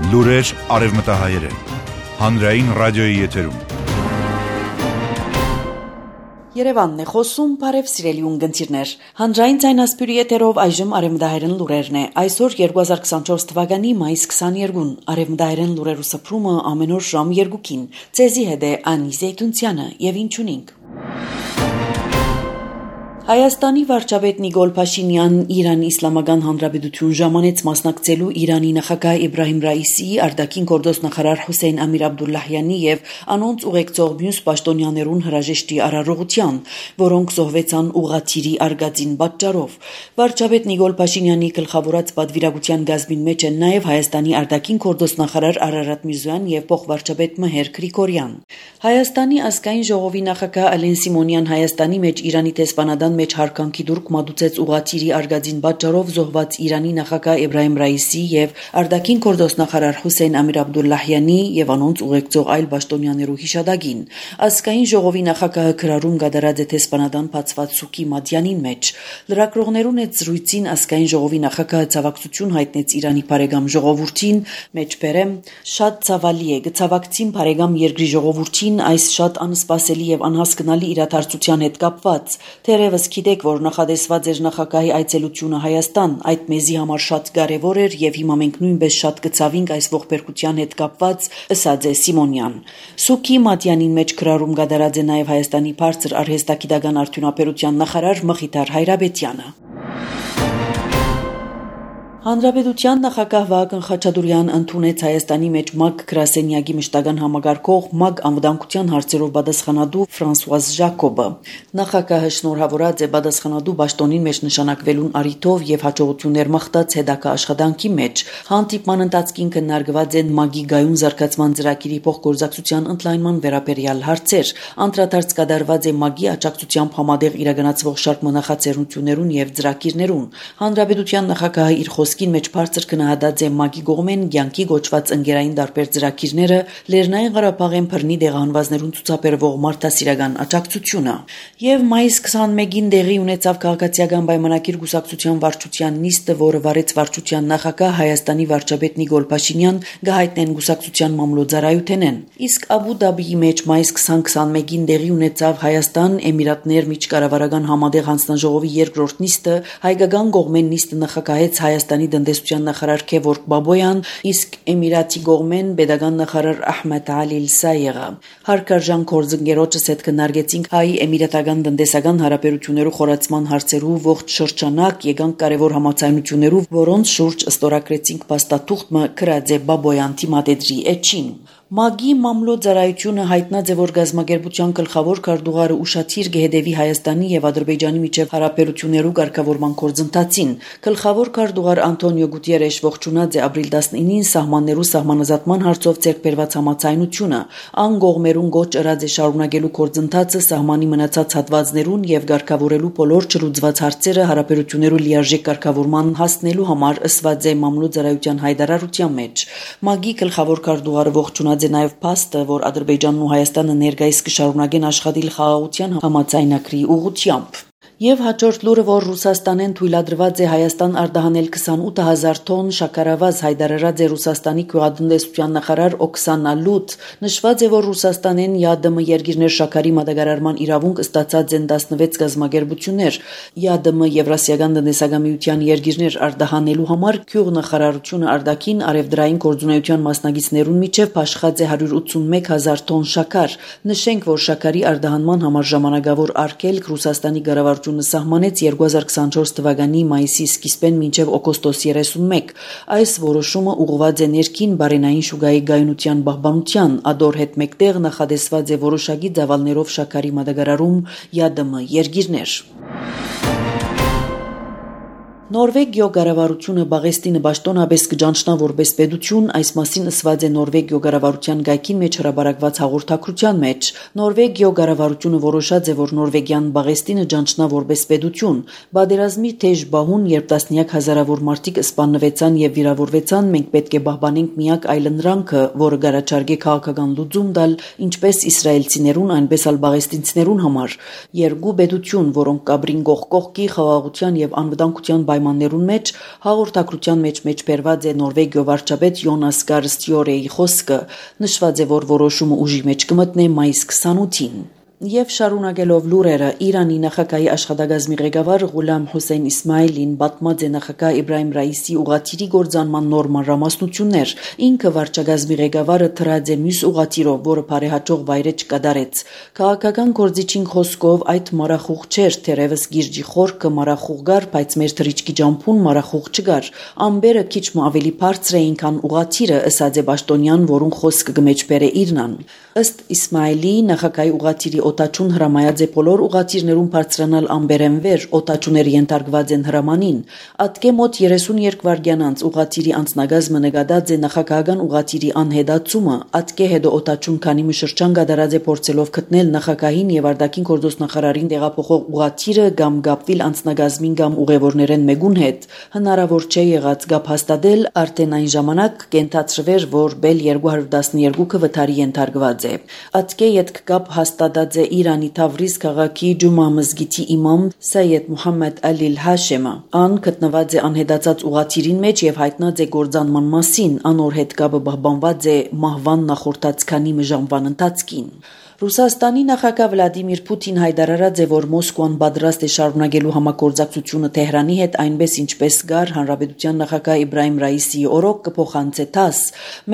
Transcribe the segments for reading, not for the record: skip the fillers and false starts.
Լուրեր արևմտահայերեն, հանրային ռադիոյի եթերում։ Երևանն է խոսում, բարև սիրելի ունգընտիրներ։ Հանրային ձայնասպյուրի եթերով այժմ արևմտահայերեն լուրերն է։ Այսօր 2024 թվականի մայիս 22-ն արևմտահայերեն լուրերու սփռումը ամեն օր ժամ 2-ին։ Ցեզի հետ է Անի Զեյթունցյանը եւ ինչ ունենք։ Հայաստանի վարչապետ Նիկոլ Փաշինյանն Իրանի Իսլամական Հանրապետություն ժամանեց մասնակցելու Իրանի նախագահ Իբրահիմ Ռայիսիի, արտաքին գործոստ նախարար Հոսեյն Ամիր Աբդուլլահյանի եւ անոնց ուղեկցող մյուս պաշտոնյաներուն հրաժեշտի արարողության, որոնք զոհվեցան ուղղաթիռի արգածին պատճառով։ Վարչապետ Նիկոլ Փաշինյանի գլխավորած պատվիրակության գազմին մեջ են նաեւ Հայաստանի արտաքին գործոստ նախարար Արարատ Միրզոյան եւ փոխվարչապետ Մհեր Գրիգորյան։ Հայաստանի ազգային ժողովի նախագահ Ալեն Սիմոնյան Հայաստանի մեջ Իրանի տեսփանադան մեջ հարկանքի դուրք մատուցեց ուղղաթիռի արգածին պատճառով զոհված Իրանի նախագահ Իբրահիմ Ռայիսի եւ արտաքին գործոստ նախարար Հոսեյն Ամիր Աբդուլլահյանի եւ անոնց ուղեկցող այլ պաշտոնյաներու հիշադակին։ Ազգային ժողովի նախագահը քրարում գդարած է տեսփանադան բացված սուկի մատյանին մեջ։ Լրագրողներուն հետ զրույցին ազգային ժողովի նախագահը ցավակցություն հայտնեց Իրանի բարեկամ ժողովրդին, մեջբերեմ շատ ցավալի է գցավակցին բարեկամ երկրի ժողովրդին այս շատ անսպասելի եւ անհասկանալի իրադարձության հետ կապված։ Թերևս գիտեք, որ նախադեсված էր նախագահի այցելությունը Հայաստան, այդ մեզի համար շատ կարևոր էր եւ հիմա մենք նույնպես շատ կցավինք այս ողբերգության հետ կապված, ըսած է Սիմոնյան։ Սուկի մատյանին մեջ քրարում գդարած է նաեւ Հայաստանի բարձր արհեստագիտական արդյունաբերության նախարար Մխիթար Հայրաբետյանը։ Հանրապետության նախագահ Վահագն Խաչատուրեան ընդունեց Հայաստանի մեջ ՄԱԿ գրասենյակի մշտական համագարկող ՄԱԿ անվտանգության հարցերով պատասխանատու Ֆրանսուազ Ժակոբը։ Նախագահը շնորհավորած է պատասխանատու պաշտոնին մեջ նշանակվելուն առիթով եւ հաջողություններ մաղթած հետագա աշխատանքի մեջ։ Հանդիպման ընթացքին քննարկված են ՄԱԿ-ի գայուն զարգացման ծրագիրի փոխգործակցության ընդլայնման վերաբերյալ հարցեր։ Անդրադարձ կատարված է ՄԱԿ-ի աջակցությամբ համատեղ իրականացվող շարք մնախացերություններուն եւ ծրագիրներուն։ Հանրապետության նախագահը իր խոսքին մեջ բարձր գնահատած է ՄԱԿ-ի կողմեն կյանքի գոչված ընկերային տարբեր ծրագիրները, Լեռնային Ղարաբաղեն բռնի դեղահանվածներուն ցուցաբերվող մարդասիրական աջակցությունը։ Եվ մայիս 21-ին տեղի ունեցավ քաղաքացիական պայմանագիր կուսակցության վարչության նիստը, որը վարեց վարչության նախագահ Հայաստանի վարչապետ Նիկոլ Փաշինյան գահիտնեն կուսակցության մամլոյցարայութենեն։ Իսկ Աբու Դաբիի մեջ մայիս 20-21-ին տեղի ունեցավ Հայաստան Էմիրատներ միջկառավարական համատեղ հանձնաժողովի երկրորդ նիստը, հայկական կողմեն նիստը նախագահեց Հայաստանի տնտեսության նախարար Քևորգ Բաբոյան, իսկ Էմիրատի կողմեն պետական նախարար Ահմեդ Ալի Սայեղը։ Հարկարժան գործընկերոջս հետ քննարկեցինք հայ էմիրատական տնտեսական հարաբերություններու խորացման հարցերու ողջ շրջանակ, եկան կարևոր համաձայնություններու, որոնց շուրջ ստորագրեցինք փաստաթուղթը Քրաձե Բաբոյան թիմադեդրի էջին։ ՄԱԿ-ի մամլոյցարայությունը հայտնած է, որ գազམ་ագերբության գլխավոր քարտուղարը ուշադիր կհետևի Հայաստանի եւ Ադրբեջանի միջև հարաբերություններու կարգավորման գործընթացին։ Գլխավոր քարտուղար Անտոնիո Գուտիերեշ ողջունած է ապրիլ 19-ին սահմաններու սահմանազատման հարցով ցերբերված համաձայնությունը։ Ան կողմերուն գոչ ըրած է շարունակելու գործընթացը սահմանի մնացած հատվածներուն եւ կարգավորելու բոլոր չլուծված հարցերը հարաբերություններու լիարժեք կարգավորման հասնելու համար ըսված է մամլոյցարայության հայտարարության մեջ։ ՄԱԿ-ի գլխավոր քարտուղարը ողջունած է նաև փաստը, որ Ադրբեջանն ու Հայաստանը ներկայիս կշարունակեն աշխատել խաղաղության համաձայնագրի ուղղությամբ։ Եվ հաջորդ լուրը, որ Ռուսաստանեն թույլատրված է Հայաստան արտահանել 28000 տոն շաքարավազ, հայտարարած է Ռուսաստանի գյուղատնտեսության նախարար Օքսանա Լուտ։ Նշված է, որ Ռուսաստանեն ԵԱԴՄ երկիրներ շաքարի մատակարարման իրավունք ստացած են 16 գազམ་ագերբություններ։ ԵԱԴՄ Եվրասիական տնտեսական միության երկիրներ արտահանելու համար գյուղնախարարությունը արտաքին արևդրային գործունեության մասնակիցներուն միջև փաշխած է 181000 տոն շաքար։ Նշենք, որ շաքարի արտահանման համար ժամանակավոր արգելք Ռուսաստանի կառավարությունը սահմանեց 2024 թվականի մայիսի սկիզբեն մինչև օգոստոս 31։ Այս որոշումը ուղղված է ներքին բարենային շուկայի գայունության պահպանության, ադոր հետ մեկտեղ նախադեсված է որոշակի ծավալներով շաքարի մատակարարում ԵԱԴՄ երկիրներ։ Նորվեգիո կառավարությունը Բաղեստինը պաշտոնապես կճանչնա որպես պետություն, այս մասին ըսված է Նորվեգիո կառավարության գայքին մեջ հրապարակված հաղորդակցության մեջ։ Նորվեգիո կառավարությունը որոշած է, որ Նորվեգիան Բաղեստինը ճանչնա որպես պետություն։ Բادرազմի թեժ բահուն, երբ տասնյակ հազարավոր մարդիկ սպանվեցան եւ վիրավորվեցան, մենք պետք է պահպանենք միակ այլընտրանքը, որը գարաչարգե քաղաքական լուծում տալ ինչպես իսրայելցիներուն, այնպես էլ բաղեստինցիներուն համար։ Երկու պետություն, որոնք կաբրին կողք կողքի խաղաղության եւ անվտանգության պայմաններուն մեջ հաղորդակցության մեջ մեջբերված է Նորվեգիո վարչապետ Յոնաս Գար Ստյորեի խոսքը, նշված է, որ որոշումը ուժի մեջ կմտնե մայիս 28-ին։ Եվ շարունակելով լուրերը, Իրանի նախագահի աշխատակազմի ղեկավար Ղուլամ Հոսեյն Իսմայելին պատմած է նախագահ Իբրահիմ Ռայիսի ուղղաթիռի գործանման նոր մանրամասնություններ։ Ինքը վարչակազմի ղեկավարը թրած է մյուս ուղղաթիռով, որը բարեհաջող վայրէջք կդարեց։ Քաղաքական գործիչին խոսքով այդ մարախուղ չէր, թերևս գիրջի խորքը մարախուղ գար, բայց մեր թռիչքի ջամփուն մարախուղ չգար։ Ամբերը քիչ մ ավելի բարձր էին, քան ուղղաթիռը, ըսած է Պաշտոնյան, որուն խոսքը կմեջբերե Իրնան։ Ըստ Իսմայելի, նախագահի ուղղաթիռի օտաչուն հրամայած է բոլոր ուղղաթիռներուն բարձրանալ ամբերեն վեր, օտաչուները ենթարկված են հրամանին։ Ատկե մոտ 32 վայրկյան անց ուղղաթիռի անձնագազմը նկատած է նախագահական ուղղաթիռի անհետացումը, ատկե հետո օտաչուն քանի մի շրջան կատարած է փորձելով գտնել նախագահին եւ արտաքին գործոստնախարարին տեղափոխող ուղղաթիռը կամ գապվիլ անձնագազմին կամ ուղևորներեն մեկուն հետ։ Հնարավոր չէ եղած գապ հաստատել, արդեն այն ժամանակ կենթացրվեր, որ Bell 212-ը վթարի ենթարկված է։ Ատկե ետք գապ հաստատած է Իրանի Թավրիզ քաղաքի Ջումա մզգիթի իմամ Սայեդ Մուհամմեդ Ալիլ Հաշեմը։ Ան գտնված է անհետացած ուղղաթիռին մեջ եւ հայտնած է գործանման մասին, անոր հետ կապը պահպանված է մահվան նախորդած քանի ժամվան ընթացքին։ Ռուսաստանի նախագահ Վլադիմիր Պուտին հայտարարած է, որ Մոսկվան պատրաստ է շարունակելու համագործակցությունը Թեհրանի հետ, այնպես ինչպես գար հանրապետության նախագահ Իբրահիմ Ռայիսի օրոք կփոխանցե ՏԱՍՍ։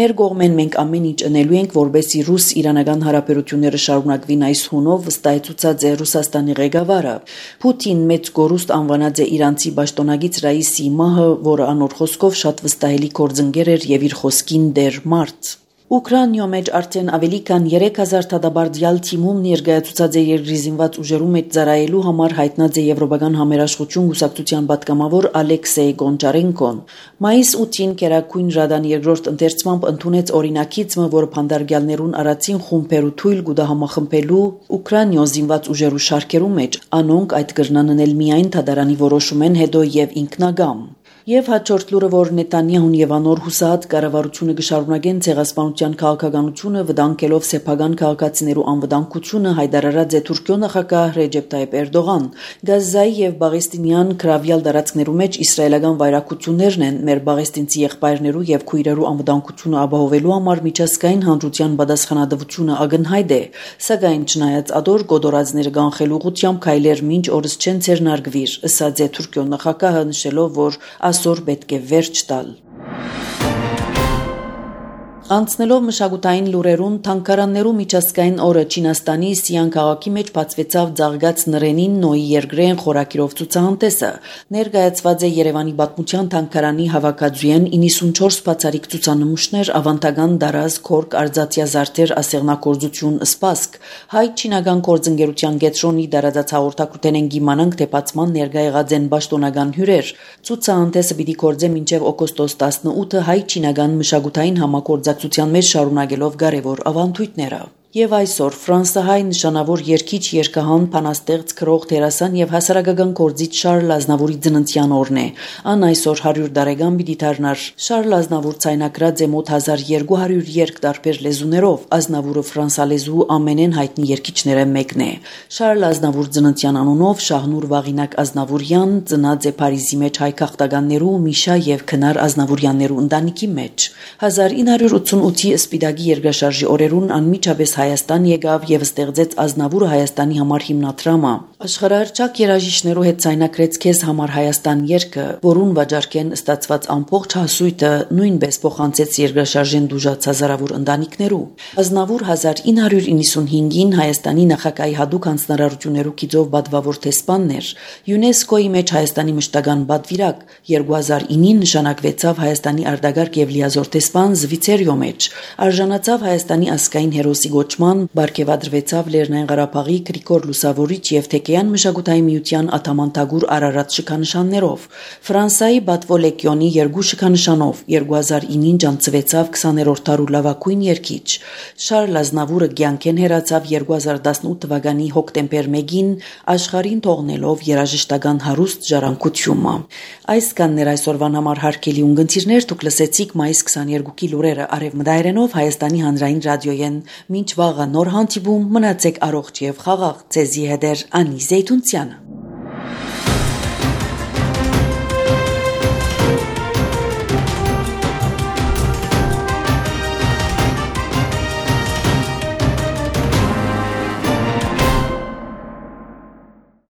Մեր կողմեն մենք ամեն ինչ անելու ենք, որբեսի ռուս-իրանական հարաբերությունները շարունակվին այս հունով, վստահեցուցած է Ռուսաստանի ղեկավարը։ Պուտին մեծ գորուստ անվանած է իրանցի պաշտոնագից Ռայիսի մահը, որը անոր խոսքով շատ վստահելի գործընկեր էր եւ իր խոսքին դեր մարդ։ Ուկրաինայում մեջ արդեն ավելի քան 3000 դատաբարդյալ թիմում ներկայացուցած է երկրի զինված ուժերու մեջ ծառայելու համար հայտնած է Եվրոպական համերաշխություն գուսակցության պատգամավոր Ալեքսեյ Գոնչարենկոն։ Մայիս 8-ին Կերակույն Ռադան երկրորդ ընթերցմամբ ընդունեց օրինակիցը, որը փանդարգյալներուն առաջին խումբերու թույլ կուտա համախմբելու Ուկրաինայ զինված ուժերու շարքերու մեջ, անոնք այդ կրնան անել միայն դատարանի որոշումեն հետո եւ ինքնագամ։ Եվ հաջորդ լուրը, որ Նետանյահուն եւ անոր հուսահատ կառավարությունը կշարունակեն ցեղասպանության քաղաքականությունը, վտանգելով սեփական քաղաքացիներու անվտանգությունը, հայտարարած է Թուրքիո նախագահ Ռեջեփ Տայիպ Էրդողան։ Գազայի եւ Բաղեստինյան քրավյալ տարածքներու մեջ իսրայելական վայրակություններն են մեր բաղեստինցի եղբայրներու եւ քույրերու անվտանգությունը ապահովելու համար միջազգային հանրության պատասխանատվությունը ակնհայտ է, սակայն չնայած ադոր գոդորածները կանխելու ուղղությամբ քայլեր մինչ օրս չեն ցերնարգվիր, ըսած է Թուրքիո նախագահը, նշելով, որ այսօր պետք է վերջ տալ։ Անցնելով մշակութային լուրերուն, թանգարաններու միջազգային օրը Չինաստանի Սիան քաղաքի մեջ բացվեցավ Ձաղգած նրենին Նոյի երկրեն խորակիրով ցուցահանդեսը։ Ներկայացված է Երևանի պատմության թանգարանի հավաքածուեն 94 բացառիկ ցուցանմուշներ, ավանդական դարազ, քորկ, արձածյա զարդեր, ասեղնագործություն, սպասք։ Հայ-չինական գործընկերության գետրոնի դարաձած հաղորդակցութեն են գիմանանք, թե բացման ներկա եղած են պաշտոնական հյուրեր։ Ցուցահանդեսը պիտի կորձե մինչև օգոստոս 18-ը հայ-չինական մշակութային համագործակցության մեջ շարունակելով կարևոր ավանդույթները։ Եվ այսօր ֆրանսահայ նշանավոր երգիչ, երգահան, բանաստեղծ, քրող, դերասան եւ հասարակական գործիչ Շարլ Ազնավուրի ծննդյան օրն է։ Ան այսօր 100 տարեկան պիտի դառնար։ Շարլ Ազնավուր ցայնակրած է մոտ 1200 երգ տարբեր լեզուներով։ Ազնավուրը ֆրանսալեզու ամենեն հայտնի երգիչները մեկն է։ Շարլ Ազնավուր ծննդյան անունով Շահնուր Վաղինակ Ազնավուրյան ծնած է Փարիզի մեջ հայ քաղաքտականներու Միշա եւ Քնար Ազնավուրյաններու ընտանիքի մեջ։ 1988-ի Սպիտակի երկրաշարժի օրերուն անմիջապես Հայաստան եկավ եւ ստեղծեց Ազնավուրը Հայաստանի համար հիմնադրամը։ Աշխարհահռչակ երաժիշտներու հետ ցայնակրեց Քեզ համար Հայաստան երգը, որուն վաճառքեն ստացված ամբողջ հասույթը նույնպես փոխանցեց երկրաշարժեն դուժած հազարավոր ընտանիքներու։ Ազնավուր 1995-ին Հայաստանի նախագահի հատուկ հանձնարարություններու գիծով պատվավոր տեսփանն էր։ ՅՈՒՆԵՍԿՕ-ի մեջ Հայաստանի մշտական պատվիրակ, 2009-ին նշանակվեցավ Հայաստանի արտագաղթ եւ լիազոր տեսփան Զվիցերիո մեջ, արժանացավ Հայաստանի ազգային հերոսի գոչման, բարգեւադրվեցավ Լեռնային Ղարաբաղի Գրիգոր Լուսավորիչ եւ Թեկեյան մշակութային միության ատաման Թագուր Արարատ շքանշաններով, Ֆրանսայի Բատվո լեգիոնի 2 շքանշանով, 2009-ին ջանցվեցավ 20-րդ դարու լավագույն երգիչ։ Շարլ Ազնավուրը կյանքեն հեռացավ 2018 թվականի հոկտեմբեր 1-ին աշխարհին թողնելով երաժշտական հարուստ ժառանգությունը։ Այս կաններ այսօրվան համար հարգելի ունգընտիրներ, դուք լսեցիք մայիս 22-ի լուրերը արևմտայերենով Հայաստանի հանրային ռադիոյեն։ Մինչ վաղը նոր հանդիպում, մնացեք առողջ եւ խաղաղ։ Ձեզի հետ է Անի Զեյթունցյանը։